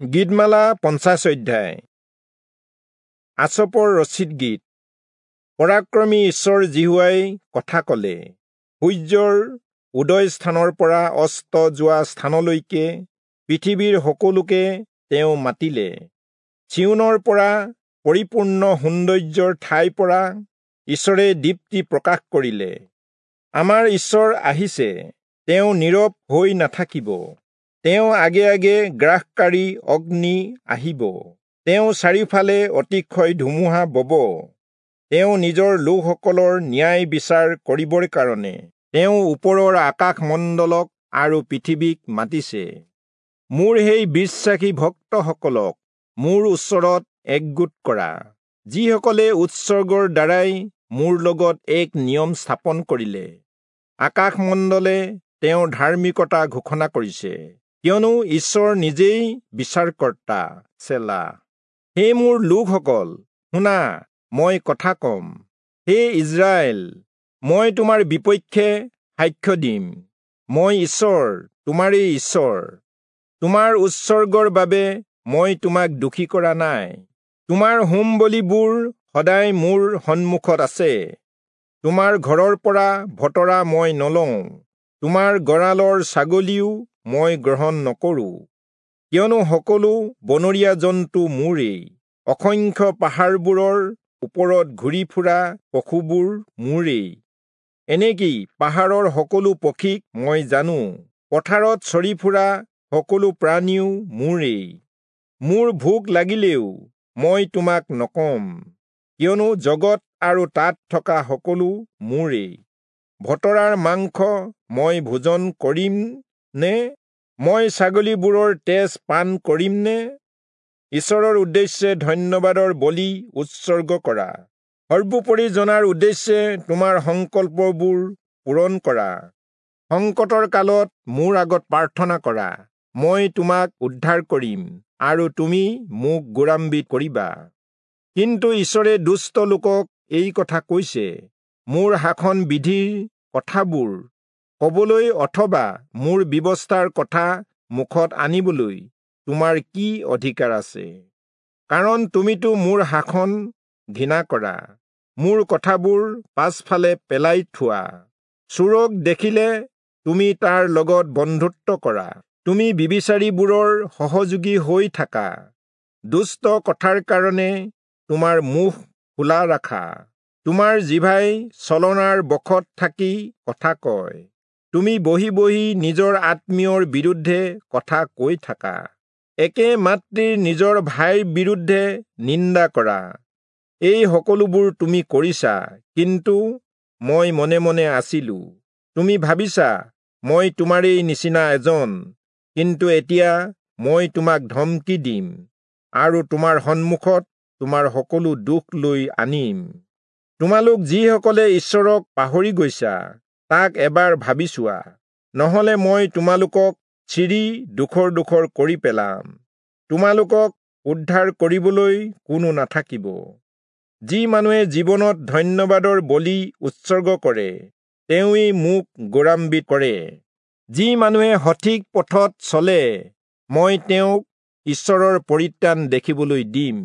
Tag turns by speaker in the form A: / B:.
A: গীতমালা 50 অধ্যায়। আচপৰ ৰচিত গীত। পৰাক্ৰমী ঈশ্বৰ যিহোৱাই কথা ক'লে, সূৰ্যৰ উদয় স্থানৰ পৰা অস্ত যোৱা স্থানলৈকে পৃথিৱীৰ সকলোকে তেওঁ মাতিলে। চিয়োনৰ পৰা, পৰিপূৰ্ণ সৌন্দৰ্যৰ ঠাইৰ পৰা ঈশ্বৰে দীপ্তি প্ৰকাশ কৰিলে। আমাৰ ঈশ্বৰ আহিছে, তেওঁ নীৰৱ হৈ নাথাকিব। তেওঁ আগে আগে গ্ৰাসকাৰী অগ্নি আহিব, তেওঁ চাৰিওফালে অতিশয় ধুমুহা বব। তেওঁ নিজৰ লোকসকলৰ ন্যায় বিচাৰ কৰিবৰ কাৰণে তেওঁ ওপৰৰ আকাশমণ্ডলক আৰু পৃথিৱীক মাতিছে। মোৰ সেই বিশ্বাসী ভক্তসকলক মোৰ ওচৰত একগোট কৰা, যিসকলে উৎসৰ্গৰ দ্বাৰাই মোৰ লগত এক নিয়ম স্থাপন কৰিলে। আকাশমণ্ডলে তেওঁৰ ধাৰ্মিকতা ঘোষণা কৰিছে, কিয়নো ঈশ্বৰ নিজেই বিচাৰকৰ্তা। চেলা। হে মোৰ লোকসকল, শুনা, মই কথা কম। হে ইজৰাইল, মই তোমাৰ বিপক্ষে সাক্ষ্য দিম। মই ঈশ্বৰ, তোমাৰেই ঈশ্বৰ। তোমাৰ উৎসৰ্গৰ বাবে মই তোমাক দোষী কৰা নাই। তোমাৰ হোম বলিবোৰ সদায় মোৰ সন্মুখত আছে। তোমাৰ ঘৰৰ পৰা ভতৰা মই নলওঁ, তোমাৰ গঁৰালৰ ছাগলীও মই গ্ৰহণ নকৰোঁ। কিয়নো সকলো বনৰীয়া জন্তু মোৰেই, অসংখ্য পাহাৰবোৰৰ ওপৰত ঘূৰি ফুৰা পশুবোৰ মোৰেই। এনেকি পাহাৰৰ সকলো পক্ষীক মই জানো, পথাৰত চৰি ফুৰা সকলো প্ৰাণীও মোৰেই। মোৰ ভোক লাগিলেও মই তোমাক নকম, কিয়নো জগত আৰু তাত থকা সকলো মোৰেই। ভতৰাৰ মাংস মই ভোজন কৰিম নে? মই ছাগলীবোৰৰ তেজ পান কৰিম নে? ঈশ্বৰৰ উদ্দেশ্যে ধন্যবাদৰ বলি উৎসৰ্গ কৰা, সৰ্বোপৰি জনাৰ উদ্দেশ্যে তোমাৰ সংকল্পবোৰ পূৰণ কৰা। সংকটৰ কালত মোৰ আগত প্ৰাৰ্থনা কৰা, মই তোমাক উদ্ধাৰ কৰিম আৰু তুমি মোক গৌৰৱান্বিত কৰিবা। কিন্তু ঈশ্বৰে দুষ্ট লোকক এই কথা কৈছে, মোৰ শাসন বিধিৰ কথাবোৰ কবলৈ অথবা মোৰ ব্যৱস্থাৰ কথা মুখত আনিবলৈ তোমাৰ কি অধিকাৰ আছে? কাৰণ তুমিতো মোৰ শাসন ঘৃণা কৰা, মোৰ কথাবোৰ পাছফালে পেলাই থোৱা। চোৰক দেখিলে তুমি তাৰ লগত বন্ধুত্ব কৰা, তুমি বিবিচাৰীবোৰৰ সহযোগী হৈ থাকা। দুষ্ট কথাৰ কাৰণে তোমাৰ মুখ খোলা ৰাখা, তোমাৰ জিভাই ছলনাৰ বশত থাকি কথা কয়। তুমি বহি বহি নিজৰ আত্মীয়ৰ বিৰুদ্ধে কথা কৈ থাকা, একে মাতৃৰ নিজৰ ভাইৰ বিৰুদ্ধে নিন্দা কৰা। এই সকলোবোৰ তুমি কৰিছা, কিন্তু মই মনে মনে আছিলো। তুমি ভাবিছা মই তোমাৰেই নিচিনা এজন, কিন্তু এতিয়া মই তোমাক ধমকি দিম আৰু তোমাৰ সন্মুখত তোমাৰ সকলো দুখ লৈ আনিম। তোমালোক যিসকলে ঈশ্বৰক পাহৰি গৈছা, তাক এবাৰ ভাবি চোৱা, নহলে মই তোমালোকক চিৰি ডোখৰ ডোখৰ কৰি পেলাম, তোমালোকক উদ্ধাৰ কৰিবলৈ কোনো নাথাকিব। যি মানুহে জীৱনত ধন্যবাদৰ বলি উৎসৰ্গ কৰে, তেওঁৱেই মোক গৌৰৱান্বিত কৰে। যি মানুহে সঠিক পথত চলে, মই তেওঁক ঈশ্বৰৰ পৰিত্ৰাণ দেখিবলৈ দিম।